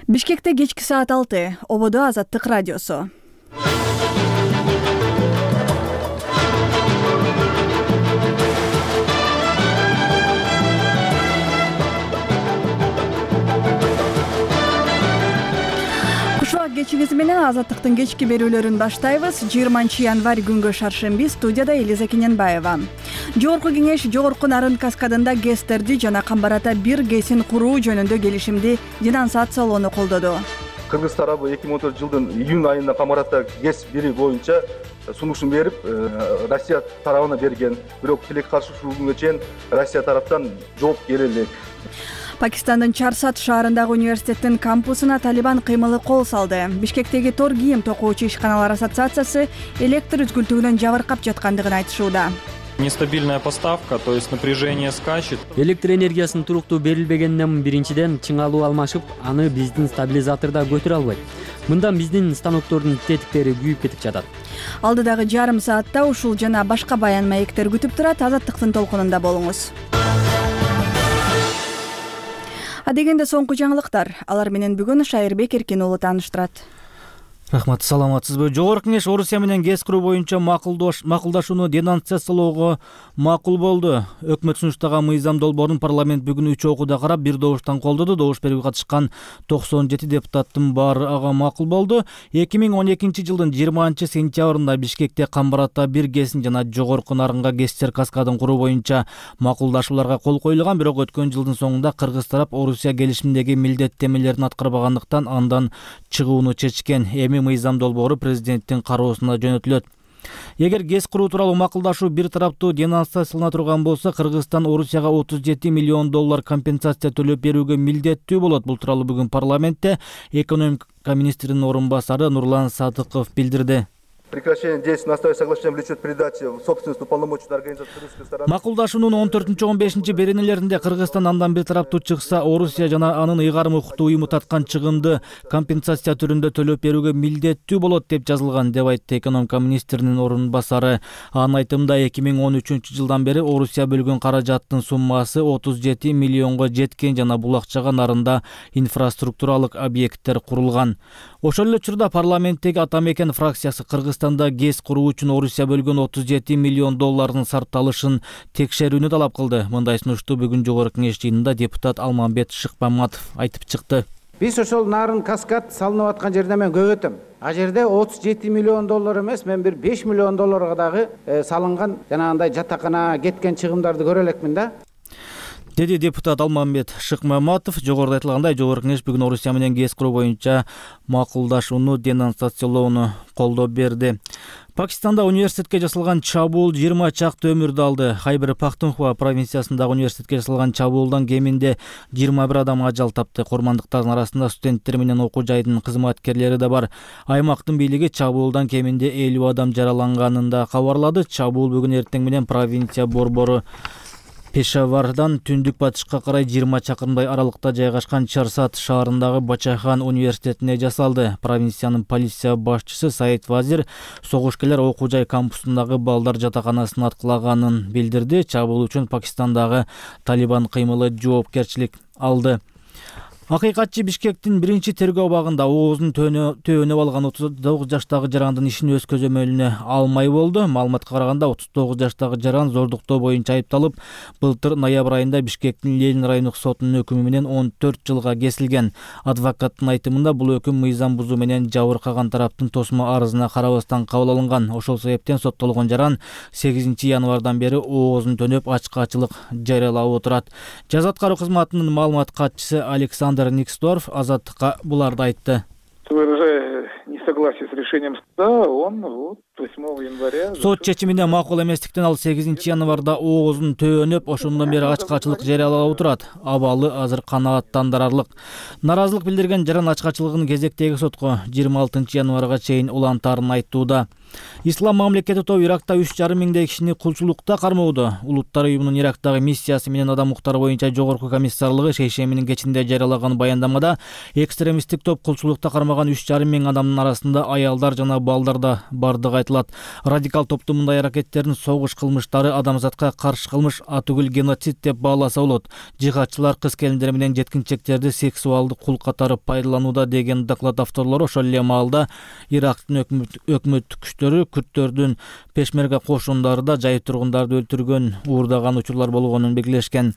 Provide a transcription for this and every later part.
Бишкекте кечки саат 6, ободо Азаттык радиосу. Кушубак кечиңиз менен Азаттыктын кечки берүүлөрүн баштайбыз. 20 январь күнгө шаршемби, студияда Элиза Кененбаева. Жогорку кеңеш Жогорку Нарын каскадында ГЭСтерди жана Камбарата 1 ГЭСин куруу жөнүндө келишимди денонсациялоону колдоду. Кыргыз тарабы 2014 жылдын июнь айында Камбарата ГЭС 1 боюнча сунушун берип, Россия тарабына берген. Бирок тилек каршы ушул күнгө чейин Россия тараптан жооп келе элек. Пакистандын Чарсат шаарындагы университеттин кампусуна Талибан кыймылы кол салды. Бишкектеги тор кийим токуучу ишканалар ассоциациясы электр үзгүлтүгүнөн жабыркап жаткандыгын айтышууда. Нестабильная поставка, то есть напряжение скачет. Электр энергиясынын туруктуу берилбегенинен биринчиден чыңалуу алмашып, аны биздин стабилизаторда көтөрө албайт. Мындан биздин станоктордун тетиктери күйүп кетип жатат. Алдыдагы жарым саатта ушул жана башка баян маектер күтүп турат. Азаттыктын толкунунда болуңуз. Адегенде соңку жаңылыктар. Алар менен бүгүн Шайырбек Эркин уулу тааныштырат. Рахмат, саламатсызбы? Жогорку кеңеш Орусия менен ГЭС куруу боюнча макулдашууну денонсациялоого макул болду. Өкмөт сунуштаган мыйзам долбоорун парламент бүгүн 3 окууда карап, бир добуштан колдоду. Добуш берип катышкан 97 депутаттын баары ага макул болду. 2012 жылдын 20 сентябрында Бишкекте Камбарата 1 ГЭСин жана Жогорку Нарынга ГЭСтер каскадын куруу боюнча макулдашууларга кол коюлган. Бирок өткөн жылдын соңунда кыргыз тарап Орусия келишиминдеги милдеттенмелерин аткарбагандыктан андан чыгууну чечкен. Мыйзам долбоору президенттин кароосуна жөнөтүлөт. Эгер ГЭС куруу тууралуу макулдашуу бир тараптуу денонсациялана турган болсо, Кыргызстан Орусияга 37 миллион доллар компенсация төлөп берүүгө милдеттүү болот. Бул тууралуу бүгүн парламентте экономика министринин орун басары Нурлан Садыков билдирди. Прекращение действий на основе соглашения влечет передачи в собственность уполномоченной организации кыргызской стороны. Макулдашуунун 14-15 беренелеринде Кыргызстан андан бир тараптуу чыкса, Орусия жана анын ыйгарым укуктуу уюму таткан чыгымды компенсация түрүндө төлөп берүүгө милдеттүү болот деп жазылган, деп айтты экономика министринин орун басары. Анын айтымында 2013 жылдан бери Орусия бөлгөн каражаттын суммасы 37 миллионго жеткен жана бул акчага Нарында инфраструктуралык объекттер курулган. Ошол эле учурда парламенттеги Ата Мекен фракциясы Кыргызстанда ГЭС куруу үчүн Орусия бөлгөн 37 миллион доллардын сарпталышын текшерүүнү талап кылды. Мындай сунушту бүгүн Жогорку кеңеш жыйынында депутат Алмамбет Шыкмаматов айтып чыкты. Биз ошол Нарын каскад салынып аткан жерде мен көп өтөм. А жерде 37 миллион доллар эмес, мен бир 5 миллион долларга дагы салынган жанагындай жатакана кеткен чыгымдарды көрө элекмин да. Деди депутат Алмамбет Шыкмаматов. Жогоруда айтылгандай, Жогорку кеңеш бүгүн Орусия менен ГЭС куруу боюнча макулдашууну денонсациялоону колдоп берди. Пакистанда университетке жасалган чабуул 20 чакты өмүрдү алды. Хайбер Пахтунхва провинциясындагы университетке жасалган чабуулдан кеминде 21 адам ажал тапты. Курмандыктардын арасында студенттер менен окуу жайдын кызматкерлери да бар. Аймактын бийлиги чабуулдан кеминде 50 адам жараланганын да кабарлады. Чабуул бүгүн эртең менен провинция борбору Пешавардан түндүк батышка карай 20 чакырымдай аралыкта жайгашкан Чарсат шаарындагы Бачахан университетине жасалды. Провинциянын полиция башчысы Саид Вазир согушкерлер окуу жай кампусундагы балдар жатаканасын аткылаганын билдирди. Чабуул үчүн Пакистандагы Талибан кыймылы жоопкерчилик алды. Акыйкатчы Бишкектин биринчи тергөө абагында оозун төөнөп алган 39 жаштагы жарандын ишин өз көзөмөлүнө алмай болду. Маалыматка караганда 39 жаштагы жаран зордуктоо боюнча айыпталып, былтыр ноябрь айында Бишкектин Ленин райондук сотунун өкүмү менен 14 жылга кесилген. Адвокаттын айтымында бул өкүм мыйзам бузуу менен жабыркаган тараптын тосмо арызына карабастан кабыл алынган. Ошол себептен соттолгон жаран 8 январдан бери оозун төнөп ачкачылык жарыялап отурат. Жаза аткаруу кызматынын маалымат катчысы Александр Никсдорф Азаттыкка буларды айтты. Выражая несогласие с решением суда, он 8 января... Сот чечимине макул эместиктен ал 8 январда оозун төөнөп, ошондон бери ачкачылык жарыялап отурат. Абалы азыр канааттандырарлык. Наразылык билдирген жаран ачкачылыгын кезектеги сотко 26 январга чейин улантаарын айтууда. Ислам мамлекети тобу Иракта 3,5 миңдей кишини кулчулукта кармоодо. Улуттар уюмунун Ирактагы миссиясы менен адам укуктары боюнча жогорку комиссарлыгы шейшембинин кечинде жарыялаган баяндамада экстремисттик топ кулчулукта кармаган 3,5 миң адамдын арасында аялдар жана балдар да бардыгы айтылат. Радикал топтун мындай аракеттерин согуш кылмыштары, адамзатка каршы кылмыш, атүгүл геноцид деп бааласа болот. Жихадчылар кыз-келиндер менен жеткинчектерди сексуалдык кул катары пайдаланууда деген доклад авторлору ошол эле маалда Ирактын өкмөттүк күчтөрү күрттөрдүн пешмерга кошундары да жай тургундарды өлтүргөн, уурдаган учурлар болгонун белгилешкен.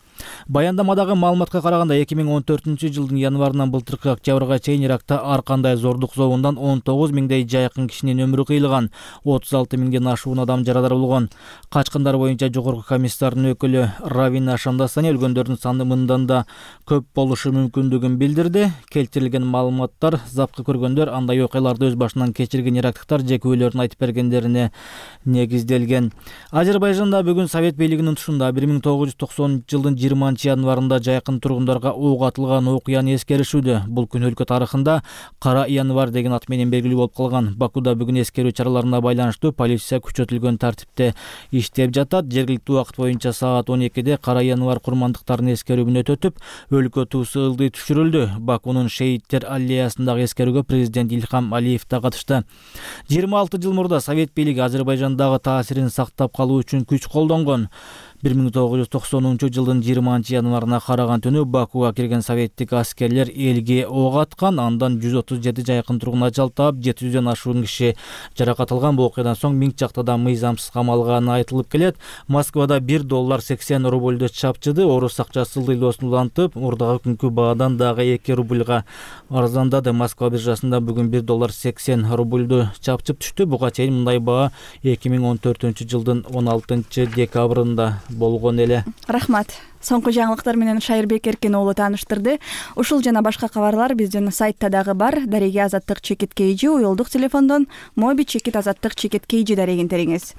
Баяндамадагы маалыматка караганда 2014-жылдын январынан былтыркы октябрга чейин Иракта ар кандай зордук зобундан 19 миңдей жайкын кишинин өмүрү кыйылган, 36 миңден ашуун адам жарадар болгон. Качкындар боюнча жогорку комиссардын өкүлү Равина Шамдасани өлгөндөрдүн саны мындан да көп болушу мүмкүндүгүн билдирди. Келтирилген маалыматтар запкы көргөндөр андай окуяларды өз башынан кечирген ирактыктар же күбөлөрүн айтып бергендерине негизделген. Азербайжанда бүгүн Совет бийлигинин тушунда 1990-жылдын 20-январында жайкын тургундарга ок атылган окуяны эскеришүүдө. Бул күн өлкө тарыхында Кара январ деген ат менен белгилүү болуп калган. Бакуда бүгүн эскерүү чараларына байланыштуу полиция күчөтүлгөн тартипте иштеп жатат. Жергиликтүү убакыт боюнча саат 12-де Кара январ курмандыктарын эскерүүнү өтөтүп, өлкө туусу ылдый түшүрүлдү. Бакунун шейиттер аллеясындагы эскерүүгө президент Илхам Алиев да катышты. 26 жыл мурда Совет бийлиги Азербайжандагы таасирин сактап калуу үчүн күч колдонгон. 1990-жылдын 20-январына караган түнү Бакуга кирген советтик аскерлер элге ок аткан, андан 137 жайкын тургун ачалтап, 700дөн ашуун киши жаракат алган. Бул окуядан соң миң чакта да мыйзамсыз камалганы айтылып келет. Москвада $1.80 чапчыды, орус акчасы ылдыйлоосун улантып, мурдагы күнкү баадан дагы 2 рубльга арзандады. Москва биржасында бүгүн $1.80 чапчып түштү. Буга чейин мындай баа 2014-жылдын 16 декабрында болгон эле. Рахмат. Соңку жаңылыктар менен Шайырбек Эркен уулу тааныштырды. Ушул жана башка кабарлар биздин сайтта дагы бар. Дареги Азаттык чекит KG, уюлдук телефондон Моби чекит Азаттык чекит KG дарегин териңиз.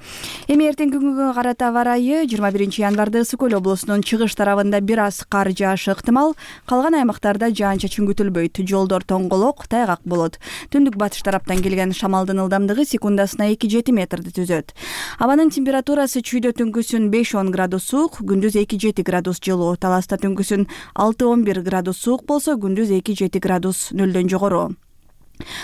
Эми эртеңки күнгө карата аба ырайы 21-январда Ысык Көл облусунун чыгыш тарабында бир аз кар жаашы ыктымал, калган аймактарда жаан-чачын күтүлбөйт. Жолдор тоңголок, тайгак болот. Түндүк батыш тараптан келген шамалдын ылдамдыгы секундасына 2-7 метрди түзөт. Абанын температурасы чүйдө түнкүсүн 5-10 градус суук, күндүз 2-7 градус жылуу. Таласта түнкүсүн 6-11 градус суук болсо, күндүз 2-7 градус нөлдөн жогору.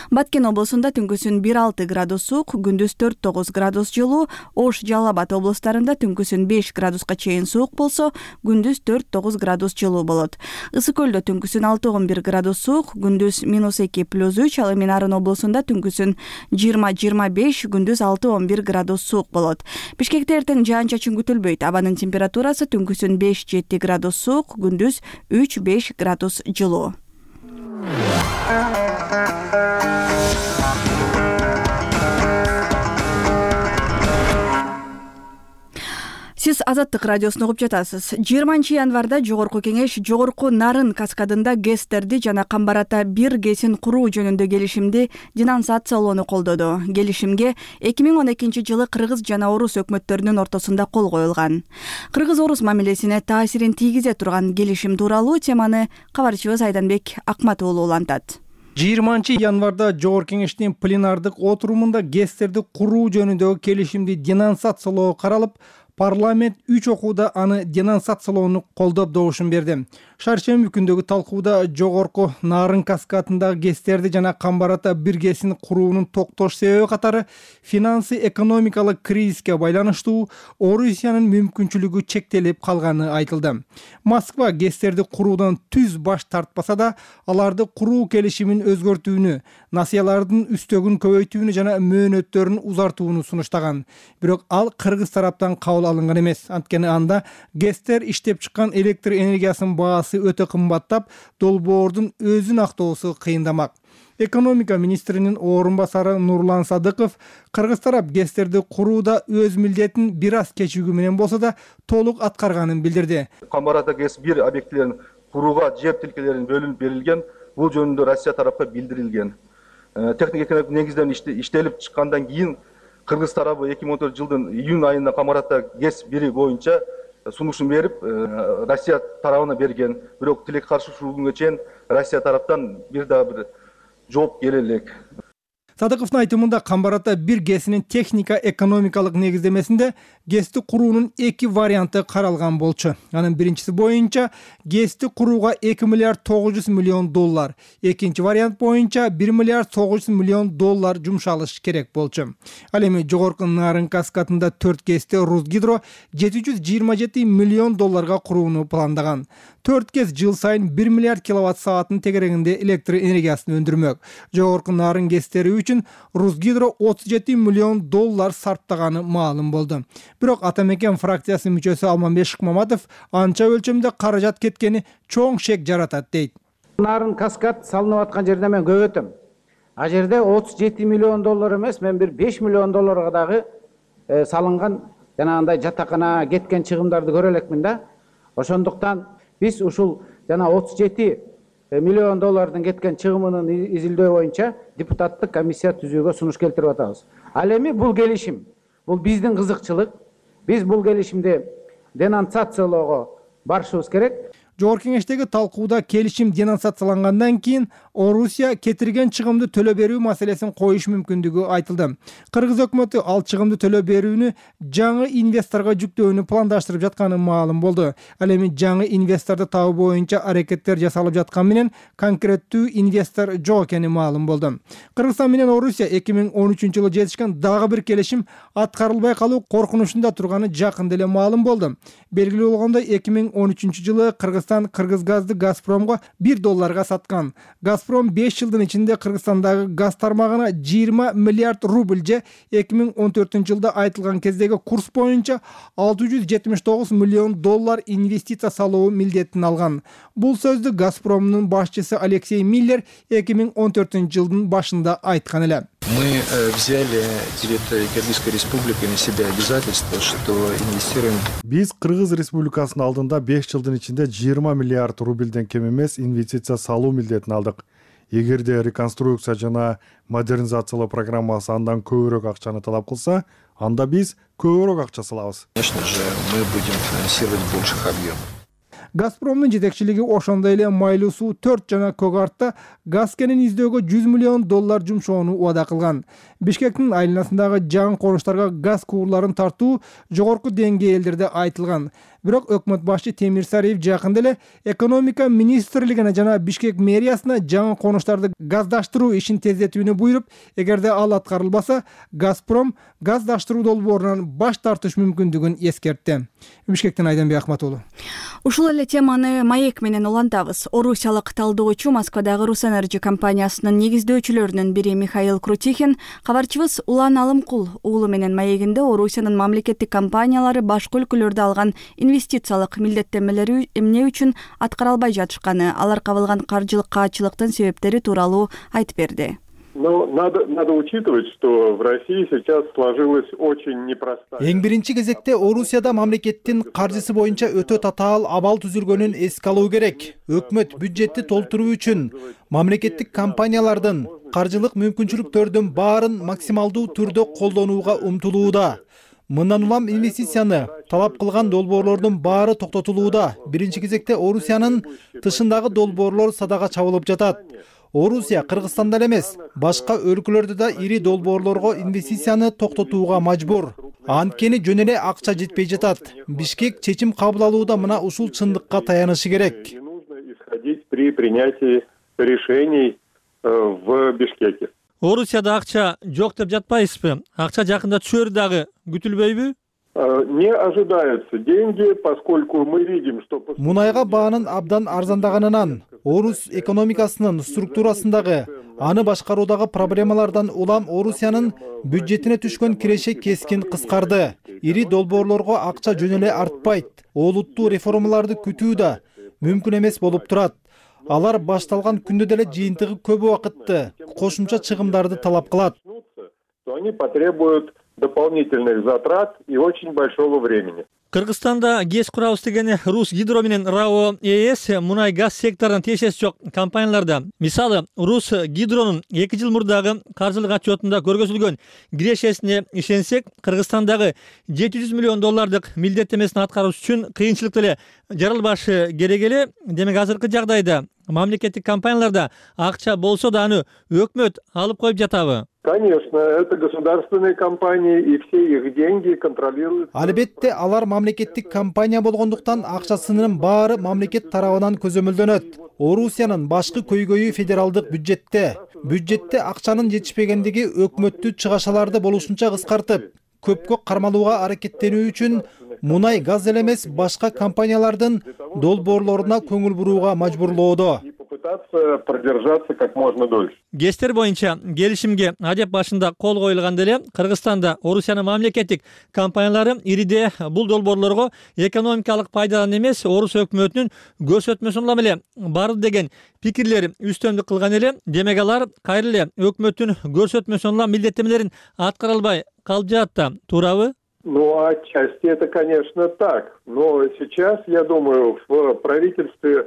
Баткен облусунда түнкүсүн 1-6 градус суук, күндүз 4-9 градус жылуу. Ош, Жалал Абад облустарында түнкүсүн 5 градуска чейин суук болсо, күндүз 4-9 градус жылуу болот. Ысык Көлдө түнкүсүн 6-11 градус суук, күндүз -2+3, ал эми Нарын облусунда түнкүсүн 20-25, күндүз 6-11 градус суук болот. Бишкекте эртең жаан-чачын күтүлбөйт. Абанын температурасы түнкүсүн 5-7 градус суук, күндүз 3-5 градус жылуу. Сиз Азаттык радиосун угуп жатасыз. 20-январда Жогорку кеңеш Жогорку Нарын каскадында ГЭСтерди жана Камбарата 1 ГЭСин куруу жөнүндө келишимди денонсациялоону колдоду. Келишимге 2012-жылы Кыргыз жана Орус өкмөттөрүнүн ортосунда кол коюлган. Кыргыз-Орус мамилесине таасирин тийгизе турган келишим тууралуу теманы кабарчыбыз Айданбек Акматуулу улантат. 20-январда Жогорку кеңештин пленардык отурумунда ГЭСтерди куруу жөнүндөгү келишимди денонсациялоо каралып, парламент 3 окууда аны денонсациялоону колдоп добушун берди. Шаршемби күндөгү талкууда Жогорку Нарын каскадындагы ГЭСтерди жана Камбарата 1 ГЭСин куруунун токтош себеби катары финансы экономикалык кризиске байланыштуу Орусиянын мүмкүнчүлүгү чектелип калганы айтылды. Москва ГЭСтерди куруудан түз баш тартпаса да, аларды куруу келишимин өзгөртүүнү, насыялардын үстөгүн көбөйтүүнү жана мөөнөттөрүн узартууну сунуштаган. Бирок ал Кыргыз тараптан кабыл алынган эмес. Анткени анда ГЭСтер иштеп чыккан электр энергиясынын баасы өтө кымбаттап, долбоордун өзүн актоосу кыйындамак. Экономика министринин орун басары Нурлан Садыков Кыргыз тарап ГЭСтерди курууда өз милдетин бир аз кечүүгү менен болсо да толук аткарганын билдирди. Камбарата ГЭС 1 объектилерин курууга жер тилкелерин бөлүнүп берилген. Бул жөнүндө Россия тарапка билдирилген. Техник экономик негизден иштелип чыккандан кийин Кыргыз тарабы 2014-жылдын июнь айында Камбарата ГЭС 1 боюнча сунушун берип, Россия тарабына берген. Бирок тилек каршы ушул күнгө чейин Россия тараптан бир жооп келе элек. Садыковдун айтымында Камбар Ата бир ГЭСинин техника экономикалык негиздемесинде ГЭСти куруунун 2 варианты каралган болчу. Анын биринчиси боюнча ГЭСти курууга 2 миллиард 900 миллион доллар, экинчи вариант боюнча 1 миллиард 900 миллион доллар жумшалыш керек болчу. Ал эми жогорку Нарын каскадында 4 ГЭСти Русгидро 727 миллион долларга курууну пландаган. 4 ГЭС жыл сайын 1 миллиард киловатт саатын тегерегинде электр энергиясын өндүрмөк. Жогорку Нарын ГЭСтери үчүн Русгидро 37 миллион доллар сарптаганы маалым болду. Бирок Ата мекен фракциясынын мүчөсү Алмамбет Шыкмаматов анча өлчөмдө каражат кеткени чоң шек жаратат дейт. Нарын каскад салынып аткан жерде мен көп өтөм. А жерде 37 миллион доллар эмес, мен бир 5 миллион долларга дагы салынган жанагындай жатакана кеткен чыгымдарды көрө элекмин да. Ошондуктан биз ушул жана 37 миллион доллардын кеткен чыгымынын изилдөө боюнча депутаттык комиссия түзүүгө сунуш келтирип атабыз. Ал эми бул келишим, бул биздин кызыкчылык. Биз бул келишимди денонсациялоого барышыбыз керек. Жогорку кеңештеги талкууда келишим денонсациялангандан кийин Орусия кетирген чыгымды төлөө берүү маселесин коюш мүмкүндүгү айтылды. Кыргыз өкмөтү ал чыгымды төлөө берүүнү жаңы инвесторго жүктөөнү пландаштырып жатканы маалым болду. Ал эми жаңы инвесторду табуу боюнча аракеттер жасалып жаткан менен конкреттүү инвестор жок экени маалым болду. Кыргызстан менен Орусия 2013-жылы жетишкен дагы бир келишим аткарылбай калуу коркунучунда турганы жакында эле маалым болду. Белгилүү болгондой 2013-жылы Кыргызстан Кыргызгазды Газпромго $1 саткан. Газпром 5 жылдын ичинде Кыргызстандагы газ тармагына 20 миллиард рубль же 2014-жылда айтылган кездеги курс боюнча $679 миллион инвестиция салуу милдетин алган. Бул сөздү Газпромдун башчысы Алексей Миллер 2014-жылдын башында айткан эле. Мы взяли территорию Кыргызской республики на себя обязательство, что инвестируем. Биз Кыргыз республикасынын алдында 5 жылдын ичинде 20 миллиард рубльден кем эмес инвестиция салуу милдетин алдык. Эгерде реконструкция жана модернизациялоо программасы андан көбүрөөк акчаны талап кылса, анда биз көбүрөөк акча салабыз. Конечно же, мы будем финансировать больших объемов. Газпромдун жетекчилиги ошондой эле Майлуу суу 4 жана Көк Артта газ кенин издөөгө $100 миллион жумшоону убада кылган. Бишкектин айланасындагы жаңы конуштарга газ куурларын тартуу жогорку деңгээлдерде айтылган. Бирок өкмөт башчы Темир Сариев жакында эле экономика министрлигине жана Бишкек мэриясына жаңы конуштарды газдаштыруу ишин тездетүүнү буйруп, эгерде ал аткарылбаса, Газпром газдаштыруу долбоорунан баш тартыш мүмкүндүгүн эскертти. Бишкектен Айданбек Ахматулу. Ушул эле теманы маек менен улантабыз. Орусиялык талдоочу Москвадагы Русэнерджи компаниясынын негиздөөчүлөрүнүн бири Михаил Крутихин кабарчыбыз Улан Алымкул уулу менен маегинде Орусиянын мамлекеттик компаниялары башка өлкөлөрдө алган инвестициялык милдеттенмелери эмне үчүн аткара албай жатышканы, алар кабылган каржылык каачылыктын себептери тууралуу айтып берди. Но надо учитывать, что в России сейчас сложилась очень непростая. Эң биринчи кезекте Орусияда мамлекеттин каржысы боюнча өтө татаал абал түзүлгөнүн эске алуу керек. Өкмөт бюджетти толтуруу үчүн мамлекеттик компаниялардын каржылык мүмкүнчүлүктөрдүн баарын максималдуу түрдө колдонууга умтулууда. Мындан улам инвестицияны талап кылган долбоорлордун баары токтотулууда. Биринчи кезекте Орусиянын тышындагы долбоорлор садага чабылып жатат. Орусия Кыргызстанда эмес, башка өлкөлөрдө да ири долбоорлорго инвестицияны токтотууга мажбур. Анткени жөн эле акча жетпей жатат. Бишкек чечим кабыл алууда мына ушул чындыкка таянышы керек. Нужно исходить при принятии решений в Бишкеке. Орусияда акча жок деп жатпайсызбы? Акча жакында түшөр дагы күтүлбөйбү? Не ожидаются деньги, поскольку мы видим, что... Мунайга баанын абдан арзандаганынан, Орус экономикасынын структурасындагы, аны башкаруудагы проблемалардан улам Орусиянын бюджетине түшкөн киреше кескин кыскарды. Ири долбоорлорго акча жөн эле артпайт. Олуттуу реформаларды күтүү да мүмкүн эмес болуп турат. Алар башталган күндө деле жыйынтыгы көп убакытты, кошумча чыгымдарды талап кылат. Они потребуют дополнительных затрат и очень большого времени. Кыргызстанда ГЭС курабыз дегени Русгидро менен РАО ЭС мунай газ секторунун тиешеси жок компанияларда. Мисалы, Русгидронун 2 жыл мурдагы каржылык отчетунда көргөзүлгөн кирешесине ишенсек, Кыргызстандагы $700 миллион милдеттемесин аткарыш үчүн кыйынчылык деле жаралбашы керек эле. Демек азыркы жагдайда мамлекеттик компанияларда акча болсо да аны өкмөт алып коюп жатабы? Конечно, это государственные компании, и все их деньги контролируют. Албетте, алар мамлекеттик компания болгондуктан акчасынын баары мамлекет тарабынан көзөмөлдөнөт. Орусиянын башкы көйгөйү федералдык бюджетте. Бюджетте акчанын жетишпегендиги өкмөттү чыгашаларды болушунча кыскартып, көпкө кармалууга аракеттенүү үчүн мунай газ эле эмес башка компаниялардын долбоорлоруна көңүл бурууга мажбурлоодо. Попытаться продержаться как можно дольше. ГЭСтер боюнча келишимге адеп башында кол коюлганда эле Кыргызстанда Орусиянын мамлекеттик компаниялары ириде бул долбоорлорго экономикалык пайдадан эмес, Орус өкмөтүнүн көрсөтмөсүн улам эле барды деген пикирлер үстөмдүк кылган эле. Демек алар кайра эле өкмөттүн көрсөтмөсүн улам милдеттемелерин аткара албай калып жатат, туурабы? Ну, отчасти это, конечно, так. Но сейчас, я думаю, в правительстве...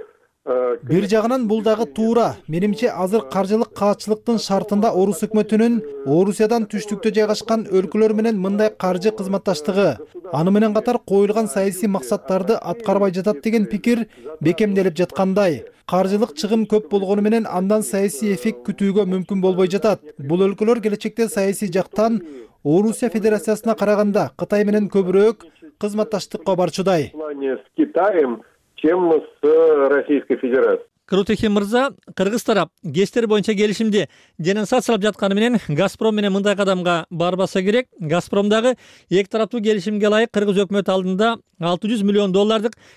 Бир жагынан бул дагы туура. Менимче азыр каржылык каатчылыктын шартында Орус өкмөтүнүн Орусиядан түштүктө жайгашкан өлкөлөр менен мындай каржы кызматташтыгы, аны менен катар коюлган саясий максаттарды аткарбай жатат деген пикир бекемделип жаткандай. Каржылык чыгым көп болгону менен андан саясий эффект күтүүгө мүмкүн болбой жатат. Бул өлкөлөр келечекте саясий жактан Орусия Федерациясына караганда Кытай менен көбүрөөк кызматташтыкка барчудай. С Китаем, чем с Российской Федерацией. Крутихин мырза, Кыргыз тарап ГЭСтер боюнча келишимди денонсациялап жатканы менен Газпром менен мындай кадамга барбаса керек. Газпром дагы эки тараптуу келишимге ылайык Кыргыз өкмөтү алдында $600 миллион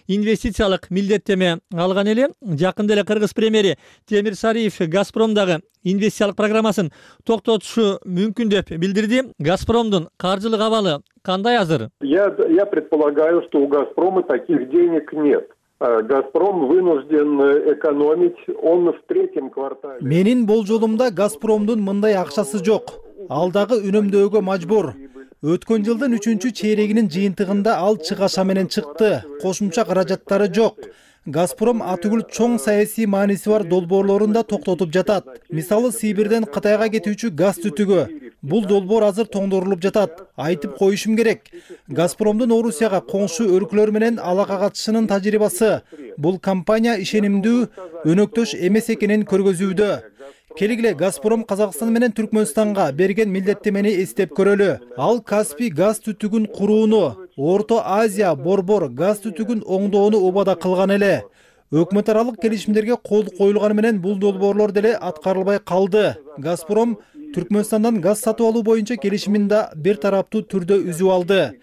инвестициялык милдеттеме алган эле. Жакында эле Кыргыз премьери Темир Сариев Газпром дагы инвестициялык программасын токтотушу мүмкүн деп билдирди. Газпромдун каржылык абалы кандай азыр? Я предполагаю, что у Газпрома таких денег нет. Газпром вынужден экономить, он в третьем квартале. Менин болжолумда Газпромдун мындай акчасы жок. Ал дагы үнөмдөөгө мажбур. Өткөн жылдын 3-чейрегинин жыйынтыгында ал чыгаша менен чыкты. Кошумча каражаттары жок. Газпром атүгүл чоң саясий мааниси бар долбоорлорун да токтотуп жатат. Мисалы Сибирден Кытайга кетүүчү газ түтүгү. Бул долбоор азыр тоңдорулуп жатат. Айтып коюшум керек. Газпромдун Орусияга коңшу өлкөлөр менен алака катышынын тажрыйбасы бул компания ишенимдүү өнөктөш эмес экенин көргөзүүдө. Келгиле Газпром Казакстан менен Түркмөнстанга берген милдеттемени эстеп көрөлү. Ал Каспий газ түтүгүн курууну, Орто Азия борбор газ түтүгүн оңдоону убада кылган эле. Өкмөт аралык келишимдерге кол коюлганы менен бул долбоорлор деле аткарылбай калды. Газпром Түркмөнстандан газ сатып алуу боюнча келишимин да бир тараптуу түрдө үзүп алды.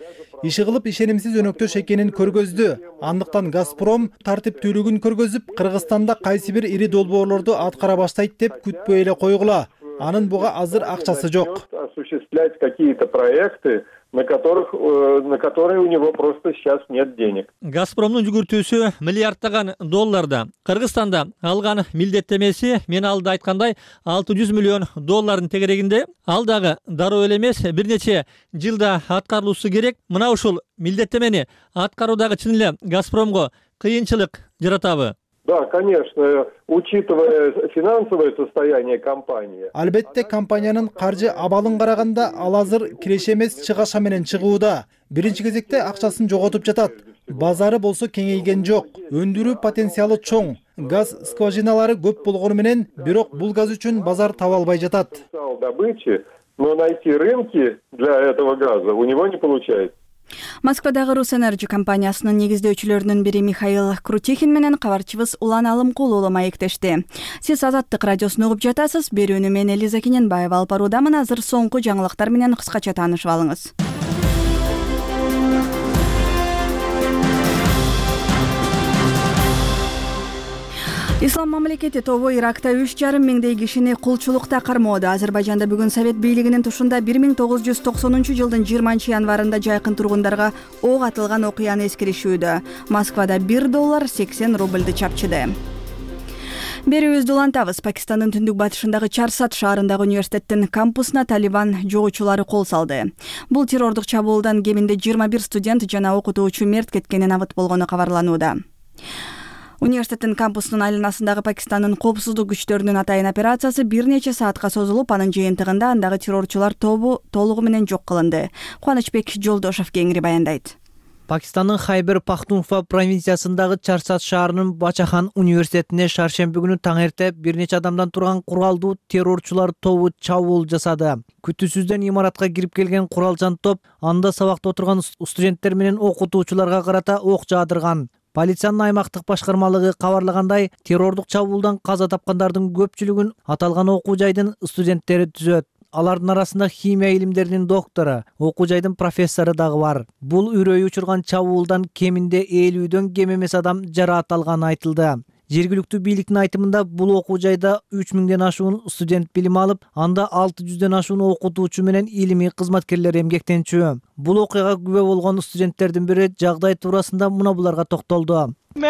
Иши кылып ишенимсиз өнөктөш экенин көргөздү. Андыктан Газпром тартиптүүлүгүн көргөзүп, Кыргызстанда кайсы бир ири долбоорлорду аткара баштайт деп күтпөй эле койгула. Анын буга азыр акчасы жок. Осуществлять какие-то проекты, на которые у него просто сейчас нет денег. Газпромдун жүгүртүүсү миллиарддаган долларда. Кыргызстанда алган милдеттемеси мен алда айткандай $600 миллион тегерегинде. Ал дагы дароо эле эмес, бир нече жылда аткарылуусу керек. Мына ушул милдеттемени аткаруудагы чын эле Газпромго кыйынчылык жаратабы? Да, конечно, учитывая финансовое состояние компании. Албетте компаниянын каржы абалын караганда ал азыр киреше эмес чыгаша менен чыгууда. Биринчи кезекте акчасын жоготуп жатат. Базары болсо кеңейген жок. Өндүрүү потенциалы чоң. Газ скважиналары көп болгону менен, бирок бул газ үчүн базар таба албай жатат. Добычи, но найти рынки для этого газа у него не получается. Москвадагы Русэнерджи компаниясынын негиздөөчүлөрүнүн бири Михаил Крутихин менен кабарчыбыз Улан Алымкул уулу маектешти. Сиз Азаттык радиосун угуп жатасыз. Берүүнү мен Элиза Кененбаева алып баруудамын. Азыр соңку жаңылыктар менен кыскача таанышып алыңыз. Ислам мамлекети тобу Иракта 3,5 миңдей кишини кулчулукта кармоодо. Азербайжанда бүгүн Совет бийлигинин тушунда 1990 жылдын 20 январында жайкын тургундарга ок атылган окуяны эскеришүүдө. Москвада $1.80 чапчыды. Берүүбүздү улантабыз. Пакистандын түндүк батышындагы Чарсат шаарындагы университеттин кампусуна Талибан жогуучулары кол салды. Бул террордук чабуулдан кеминде 21 студент жана окутуучу мерт кеткени набыт болгону кабарланууда. Университеттин кампусунун айланасындагы Пакистандын коопсуздук күчтөрүнүн атайын операциясы бир нече саатка созулуп, анын жыйынтыгында андагы террорчулар тобу толугу менен жок кылынды. Кубанычбек Жолдошов кеңири баяндайт. Пакистандын Хайбер Пахтунхва провинциясындагы Чарсат шаарынын Бачахан университетине шаршемби күнү таң эрте бир нече адамдан турган куралдуу террорчулар тобу чабуул жасады. Күтүүсүздөн имаратка кирип келген куралчан топ анда сабакта отурган студенттер менен окутуучуларга карата ок жаадырган. Полициянын аймактык башкармалыгы кабарлагандай, террордук чабуулдан каза тапкандардын көпчүлүгүн аталган окуу жайдын студенттери түзөт. Алардын арасында химия илимдеринин доктору, окуу жайдын профессору дагы бар. Бул үрөй учурган чабуулдан кеминде 50дөн кем эмес адам жараат алганы айтылды. Жергиликтүү бийликтин айтымында бул окуу жайда 3000ден ашуун студент билим алып, анда 600ден ашуун окутуучу менен илимий кызматкерлер эмгектенчү. Бул окуяга күбө болгон студенттердин бири жагдай туурасында мына буларга токтолду. Ал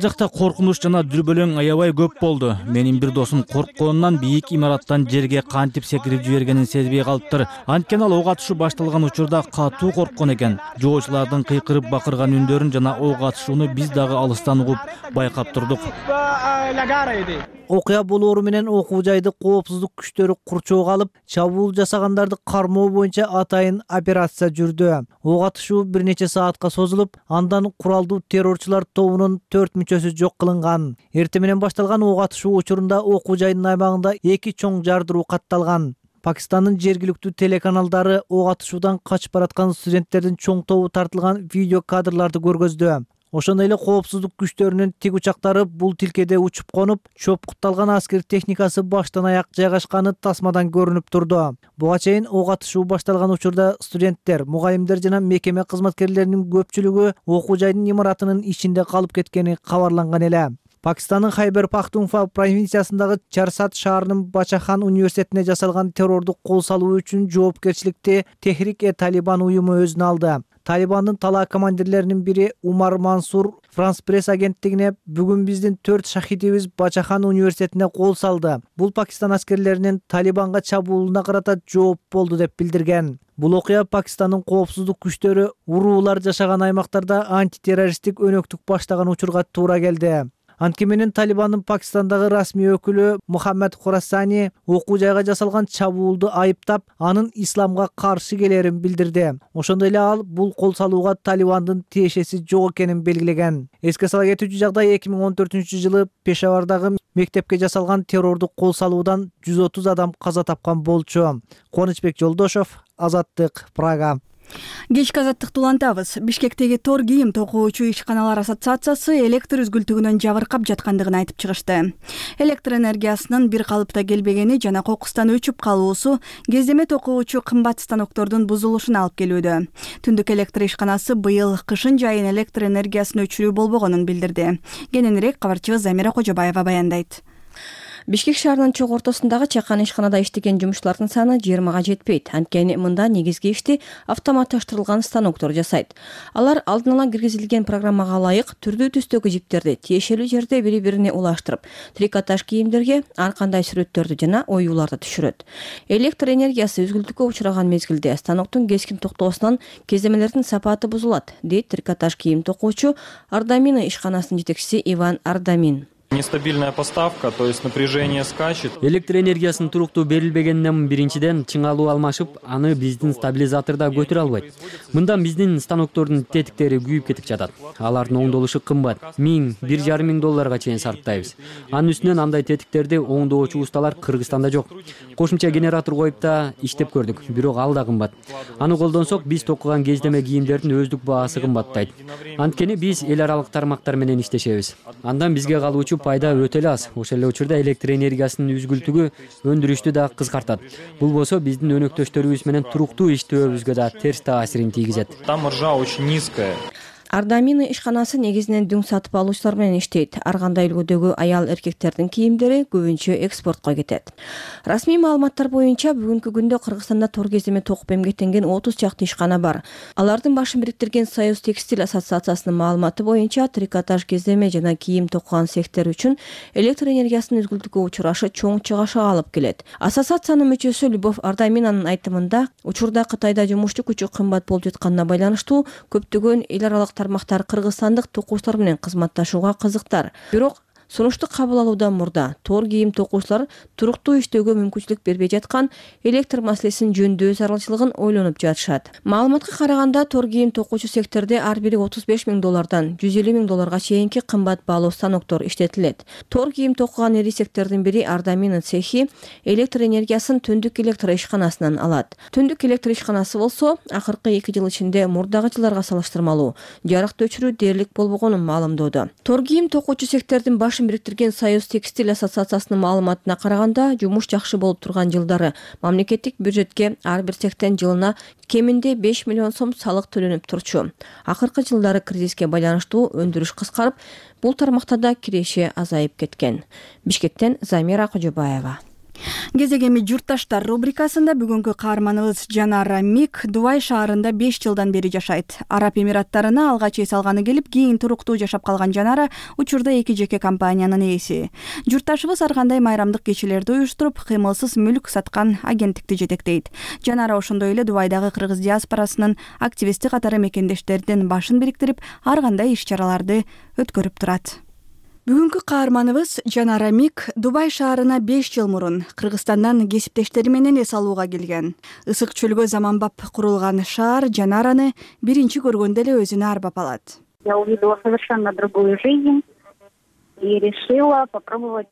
жакта коркунуч жана дүрбөлөң аябай көп болду. Менин бир досум коркконунан бийик имараттан жерге кантип секирип жибергенин сезбей калыптыр. Анткени ал ок атышуу башталган учурда катуу корккон экен. Жоочулардын кыйкырып бакырган үндөрүн жана ок атышууну биз дагы алыстан угуп байкап турдук. Окуя болоору менен окуу жайды коопсуздук күчтөрү курчоого алып, чабуул жасагандарды кармоо боюнча атайын операция жүрдү. Ок атышуу бир нече саатка созулуп, андан куралдуу террорчулар тобунун 4 мүчөсү жок кылынган. Эртең менен башталган ок атышуу учурунда окуу жайдын аймагында 2 чоң жардыруу катталган. Пакистандын жергиликтүү телеканалдары ок атышуудан качып бараткан студенттердин чоң тобу тартылган видео кадрларды көргөздү. Ошондой эле коопсуздук күчтөрүнүн тиг учактары бул тилкеде учуп конуп, чопкутталган аскер техникасы баштан аяк жайгашканы тасмадан көрүнүп турду. Буга чейин ок атышуу башталган учурда студенттер, мугалимдер жана мекеме кызматкерлеринин көпчүлүгү окуу жайдын имаратынын ичинде калып кеткени кабарланган эле. Пакистандын Хайбер Пахтунхва провинциясындагы Чарсат шаарынын Бачахан университетине жасалган террордук кол салуу үчүн жоопкерчиликти Техрик-e-Талибан уюму өзүнө алды. Талибандын талаа командирлеринин бири Умар Мансур Франс пресс агенттигине бүгүн биздин 4 шахидибиз Бачахан университетине кол салды. Бул Пакистан аскерлеринин Талибанга чабуулуна карата жооп болду деп билдирген. Бул окуя Пакистандын коопсуздук күчтөрү уруулар жашаган аймактарда антитеррористтик өнөктүк баштаган учурга туура келди. Анткени менен Талибандын Пакистандагы расмий өкүлү Мухаммад Хурасани окуу жайга жасалган чабуулду айыптап, анын исламга каршы келерин билдирди. Ошондой эле ал бул кол салууга Талибандын тиешеси жок экенин белгилеген. Эске сала кетүүчү жагдай 2014-жылы Пешавардагы мектепке жасалган террордук кол салуудан 130 адам каза тапкан болчу. Кубанычбек Жолдошов, Азаттык, Прага. Кечки азаттыкты улантабыз. Бишкектеги тор кийим токуучу ишканалар ассоциациясы электр үзгүлтүгүнөн жабыркап жаткандыгын айтып чыгышты. Электр энергиясынын бир калыпта келбегени жана кокустан өчүп калуусу кездеме токуучу кымбат станоктордун бузулушуна алып келүүдө. Түндүк электр ишканасы быйыл кышын жайын электр энергиясын өчүрүү болбогонун билдирди. Кененирээк кабарчыбыз Замира Кожобаева баяндайт. Бишкек шаарынын чок ортосундагы чакан ишканада иштеген жумушчулардын саны 20га жетпейт. Анткени мында негизги ишти автоматташтырылган станоктор жасайт. Алар алдын ала киргизилген программага ылайык түрдүү түстөгү жиптерди тиешелүү жерде бири-бирине улаштырып, трикотаж кийимдерге ар кандай сүрөттөрдү жана оюуларды түшүрөт. Электр энергиясы үзгүлтүккө учураган мезгилде станоктун кескин токтоосунан кеземелердин сапаты бузулат, дейт трикотаж кийим токуучу Ардамина ишканасынын жетекчиси Иван Ардамин. Нестабильная поставка, то есть напряжение скачет. Электр энергиясынын туруктуу берилбегенинен биринчиден чыңалуу алмашып, аны биздин стабилизаторда көтөрө албайт. Мындан биздин станоктордун тетиктери күйүп кетип жатат. Алардын оңдолушу кымбат. 1000–1,5 миң долларга чейин сарптайбыз. Анын үстүнөн андай тетиктерди оңдоочу усталар Кыргызстанда жок. Кошумча генератор коюп да иштеп көрдүк, бирок ал да кымбат. Аны колдонсок, биз токуган кездеме кийимдердин өздүк баасы кымбаттайт. Анткени биз эл аралык тармактар менен иштешебиз. Андан бизге калуучу пайда өтө эле аз. Ошол эле учурда электр энергиясынын үзгүлтүгү өндүрүштү да кыскартат. Бул болсо биздин өнөктөштөрүбүз менен туруктуу иштөөбүзгө да терс таасирин тийгизет. Там маржа очень низкая. Ардамина ишканасы негизинен дүң сатып алуучулар менен иштейт. Ар кандай үлгүдөгү аял эркектердин кийимдери көбүнчө экспортко кетет. Расмий маалыматтар боюнча бүгүнкү күндө Кыргызстанда тор кеземе токуп эмгектенген 30 чакты ишкана бар. Алардын башын бириктирген Союз текстиль ассоциациясынын маалыматы боюнча трикотаж кеземе жана кийим токуган цехтер үчүн электр энергиясынын үзгүлтүккө учурашы чоң чыгашага алып келет. Ассоциациянын мүчөсү Любовь Ардаминанын айтымында, учурда Кытайда жумушту күчү кымбат болуп жатканына байланыштуу көптөгөн эл аралык тармактар кыргызстандык токуучулар менен кызматташууга кызыктар. Бирок Сунушту кабыл алуудан мурда тор кийим токуучулар туруктуу иштөөгө мүмкүнчүлүк бербей жаткан электр маселесин жөндөө зарылчылыгын ойлонуп жатышат. Маалыматка караганда тор кийим токуучу секторде ар бири $35,000 $150,000 чейинки кымбат баалуу станоктор иштетилет. Тор кийим токуган ири сектордун бири Ардамина цехи электр энергиясын Түндүк электр ишканасынан алат. Түндүк электр ишканасы болсо акыркы 2 жыл ичинде мурдагы жылдарга салыштырмалуу жарык өчүрүү дээрлик болбогонун маалымдоодо. Тор кийим токуучу сектордун башын бириктирген Союз текстиль ассоциациясынын маалыматына караганда, жумуш жакшы болуп турган жылдары мамлекеттик бюджетке ар бир цехтен жылына кеминде 5 миллион сом салык төлөнүп турчу. Акыркы жылдары кризиске байланыштуу өндүрүш кыскарып, бул тармакта да киреше азайып кеткен. Бишкектен Замира Кожобаева. Кезегеми журтташтар рубрикасында бүгүнкү каарманыбыз Жанара Мик Дубай шаарында 5 жылдан бери жашайт. Араб Эмираттарына алгач эс алганы келип, кийин туруктуу жашап калган Жанара учурда 2 жеке компаниянын ээси. Журтташыбыз ар кандай майрамдык кечелерди уюштуруп, кыймылсыз мүлк саткан агенттикти жетектейт. Жанара ошондой эле Дубайдагы кыргыз диаспорасынын активисти катары мекендештердин башын бириктирип, ар кандай иш-чараларды өткөрүп турат. Бүгүнкү каарманыбыз Жанара Мик Дубай шаарына 5 жыл мурун Кыргызстандан кесиптештери менен эс алууга келген. Ысык чөлгө заманбап курулган шаар Жанараны биринчи көргөндө эле өзүнө арбап алат. Я увидела совершенно другую жизнь и решила попробовать.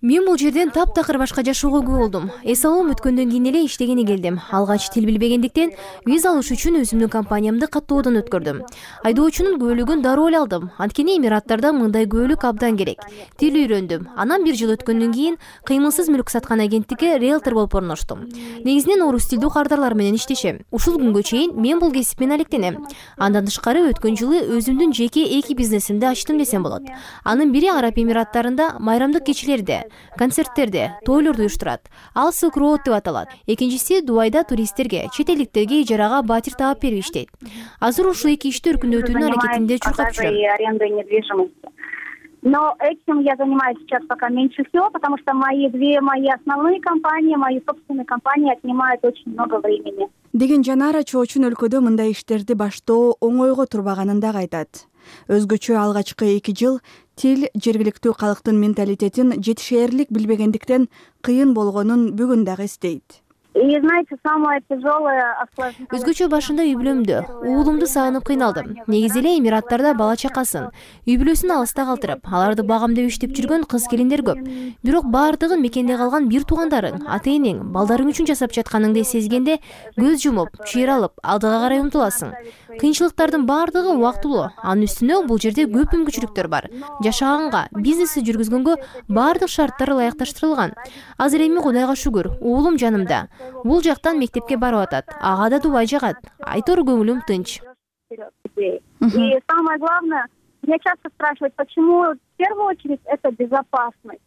Мен бул жерден таптакыр башка жашоого күбө болдум. Эс алуум өткөндөн кийин эле иштегени келдим. Алгач тил билбегендиктен виза алыш үчүн өзүмдүн компаниямды каттоодон өткөрдүм. Айдоочунун күбөлүгүн дароо эле алдым. Анткени Эмираттарда мындай күбөлүк абдан керек. Тил үйрөндүм. Анан 1 жыл өткөндөн кийин кыймылсыз мүлк саткан агенттикке риэлтор болуп орноштум. Негизинен орус тилдүү кардарлар менен иштешем. Ушул күнгө чейин мен бул кесип менен алектенем. Андан тышкары өткөн жылы өзүмдүн жеке 2 бизнесимди ачтым десем болот. Анын бири Араб Эмираттарында майрамдык кечелерди, концерттерде, тойлорду уюштурат. Ал Silk Road деп аталат. Экинчиси Дубайда туристтерге, чет элдиктерге ижарага батир таап берип иштейт. Азыр ушул 2 ишти өркүндөтүүнүн аракетинде чуркап жүрөм. Но этим я занимаюсь сейчас пока меньше всего, потому что мои основные компании, мои собственные компании отнимают очень много времени. Деген Жанара чоочун өлкөдө мындай иштерди баштоо оңойго турбаганын да айтат. Өзгөчө алгачкы 2 жыл тил жергиликтүү калктын менталитетин жетишээрлик билбегендиктен кыйын болгонун бүгүн дагы эстейт. И знаете, самое тяжелое Өзгөчө башында үй бүлөмдү, уулумду сагынып кыйналдым. Негизи эле Эмираттарда бала чакасын, үй бүлөсүн алыста калтырып, аларды багам деп иштеп жүргөн кыз келиндер көп. Бирок баардыгын мекенде калган бир туугандарың, ата-энең, балдарың үчүн жасап жатканыңды сезгенде көз жумуп, чыйралып, алдыга карай умтуласың. Кыйынчылыктардын баардыгы убактылуу. Анын үстүнө бул жерде көп мүмкүнчүлүктөр бар. Жашаганга, бизнести жүргүзгөнгө баардык шарттар ылайыкташтырылган. Азыр эми Кудайга шүгүр, уулум жанымда. Бул жактан мектепке барып атат. Ага да Дубай жагат. Айтор көңүлүм тынч. И самое главное, меня часто спрашивают, почему в первую очередь это безопасность.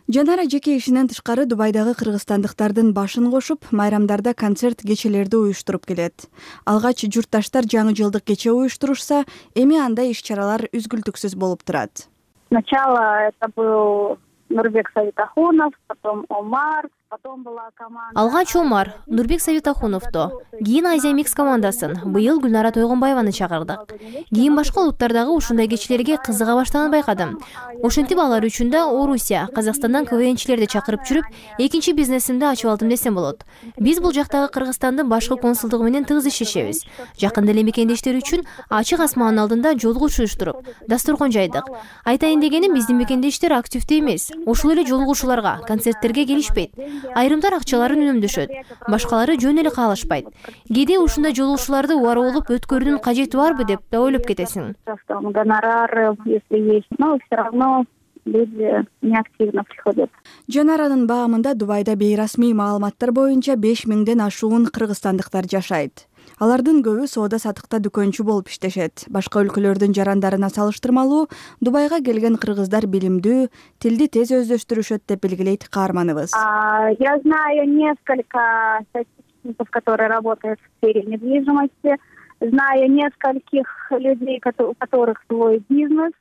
Жанара жеке ишинен тышкары Дубайдагы кыргызстандыктардын башын кошуп, майрамдарда концерт кечелерди уюштуруп келет. Алгач журтташтар жаңы жылдык кече уюштурушса, эми андай иш-чаралар үзгүлтүксүз болуп турат. Сначала это был Нурбек Савитахунов, потом Омар, потом была команда. Алгач Омар, Нурбек Савитахуновду, кийин Азия Микс командасын, быйыл Гүлнара Тойгонбаеваны чакырдык. Кийин башка улуттардагы ушундай кечелерге кызыга баштаганын байкадым. Ошентип алар үчүн да Орусия, Казакстандан КВНчилерди чакырып жүрүп, экинчи бизнесимди ачып алдым десем болот. Биз бул жактагы Кыргызстандын башкы консулдугу менен тыгыз иштешебиз. Жакында эле мекендештер үчүн ачык асмандын алдында жолугушуу уюштуруп, дасторкон жайдык. Айтайын дегеним, биздин мекендештер активдүү эмес. Ушул эле жолугушууларга, концерттерге келишпейт. Айрымдар акчаларын үнөмдөшөт, башкалары жөн эле каалашпайт. Кээде ушундай жолугушууларды убара болуп өткөрүүнүн кажети барбы деп да ойлоп кетесиң. Гонорары, если есть, но все равно люди неактивно приходят. Жанаранын баамында Дубайда бейрасмий маалыматтар боюнча 5000ден ашуун кыргызстандыктар жашайт. Алардын көбү соода сатыкта дүкөнчү болуп иштешет. Башка өлкөлөрдүн жарандарына салыштырмалуу Дубайга келген кыргыздар билимдүү, тилди тез өздөштүрүшөт деп белгилейт каарманыбыз. Я знаю несколько статистиков, которые работают в сфере недвижимости. Знаю нескольких людей, у которых свой бизнес.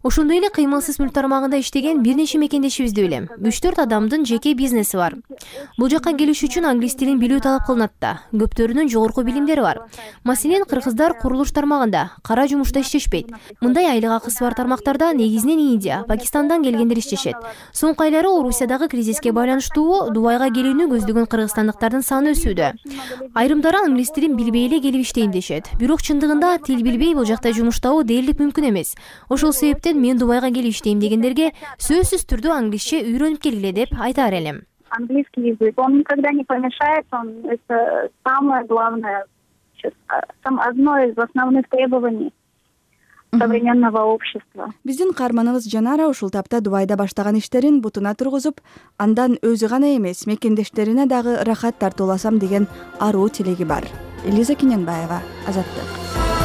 ошондой эле кыймылсыз мүлк тармагында иштеген бир нече мекендешибизди билем. 3-4 адамдын жеке бизнеси бар. Бул жакка келиш үчүн англис тилин билүү талап кылынат да. Көптөрүнүн жогорку билимдери бар. Маселен, кыргыздар курулуш тармагында кара жумушта иштешпейт. Мындай айлык акысы бар тармактарда негизинен Индия, Пакистандан келгендер иштешет. Соңку айлары Орусиядагы кризиске байланыштуу Дубайга келүүнү көздөгөн кыргызстандыктардын саны өсүүдө. Айрымдары англис тилин билбей эле келип иштейм дешет. Бирок чындыгында тил билбей бул жакта жумуштабоо дээрлик мүмкүн эмес. Ошол себептен мен Дубайга келип иштейм дегендерге сөзсүз түрдө англисче үйрөнүп келгиле деп айтаар элем. Английский язык, он никогда не помешает, это самое главное, одно из основных требований современного общества. Биздин каарманыбыз Жанара ушул тапта Дубайда баштаган иштерин бутуна тургузуп, андан өзү гана эмес, мекендештерине дагы рахат тартууласам деген аруу тилеги бар. Элиза Кененбаева, Азаттык.